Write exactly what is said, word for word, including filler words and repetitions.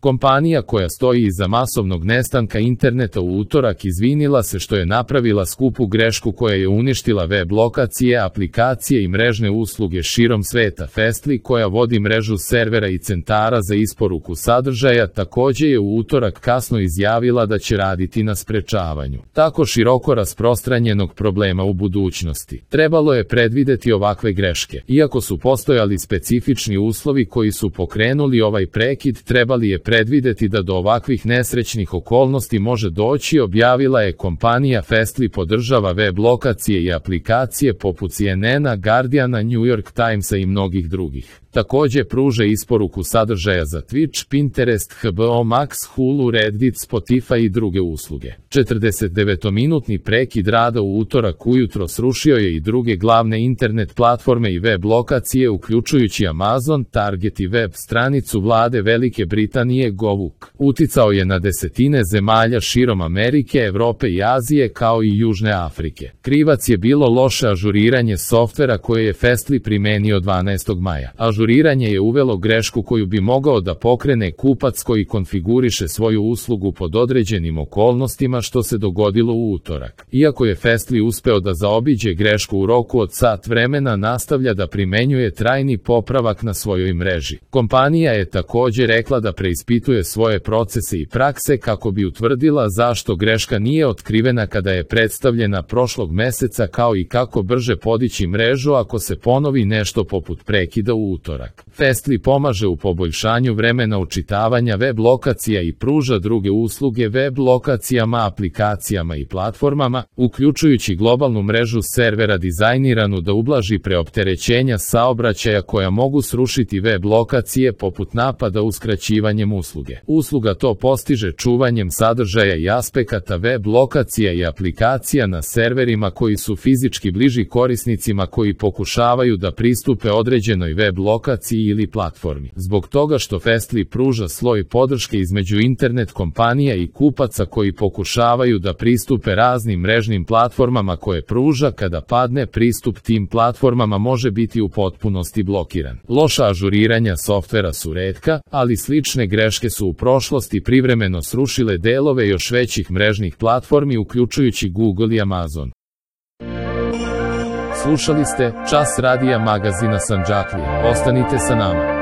Kompanija koja stoji iza masovnog nestanka interneta u utorak izvinila se što je napravila skupu grešku koja je uništila web lokacije, aplikacije i mrežne usluge širom sveta. Fastly, koja vodi mrežu servera i centara za isporuku sadržaja, također je u utorak kasno izjavila da će raditi na sprečavanju tako široko rasprostranjenog problema u budućnosti. Trebalo je predvideti ovakve greške. Iako su postojali specifični uslovi koji su pokrenuli ovaj prekid, trebali je predvideti da do ovakvih nesrećnih okolnosti može doći, objavila je kompanija. Fastly podržava web lokacije i aplikacije poput C N N-a, Guardiana, New York Timesa i mnogih drugih. Također pruža isporuku sadržaja za Twitch, Pinterest, H B O Max, Hulu, Reddit, Spotify i druge usluge. četrdesetdevetminutni prekid rada u utorak ujutro srušio je i druge glavne internet platforme i web lokacije, uključujući Amazon, Target i web stranicu vlade Velike Britanije Govuk. Uticao je na desetine zemalja širom Amerike, Evrope i Azije kao i Južne Afrike. Krivac je bilo loše ažuriranje softvera koje je Fastly primenio dvanaestog maja. Ažuriranje je uvelo grešku koju bi mogao da pokrene kupac koji konfiguriše svoju uslugu pod određenim okolnostima, što se dogodilo u utorak. Iako je Fastly uspeo da zaobiđe grešku u roku od sat vremena, nastavlja da primenjuje trajni popravak na svojoj mreži. Kompanija je također rekla da preispituje svoje procese i prakse kako bi utvrdila zašto greška nije otkrivena kada je predstavljena prošlog meseca, kao i kako brže podići mrežu ako se ponovi nešto poput prekida u utorak. Fastly pomaže u poboljšanju vremena učitavanja web lokacija i pruža druge usluge web lokacijama, aplikacijama i platformama, uključujući globalnu mrežu servera dizajniranu da ublaži preopterećenja saobraćaja koja mogu srušiti web lokacije poput napada uskraćivanjem usluge. Usluga to postiže čuvanjem sadržaja i aspekata web lokacija i aplikacija na serverima koji su fizički bliži korisnicima koji pokušavaju da pristupe određenoj web lokaciji ili platformi. Zbog toga što Fastly pruža sloj podrške između internet kompanija i kupaca koji pokušavaju da pristupe raznim mrežnim platformama koje pruža, kada padne pristup tim platformama može biti u potpunosti blokiran. Loša ažuriranja softvera su retka, ali slične greške su u prošlosti privremeno srušile delove još većih mrežnih platformi, uključujući Google i Amazon. Slušali ste Čas radija magazina Sandžaklija. Ostanite sa nama.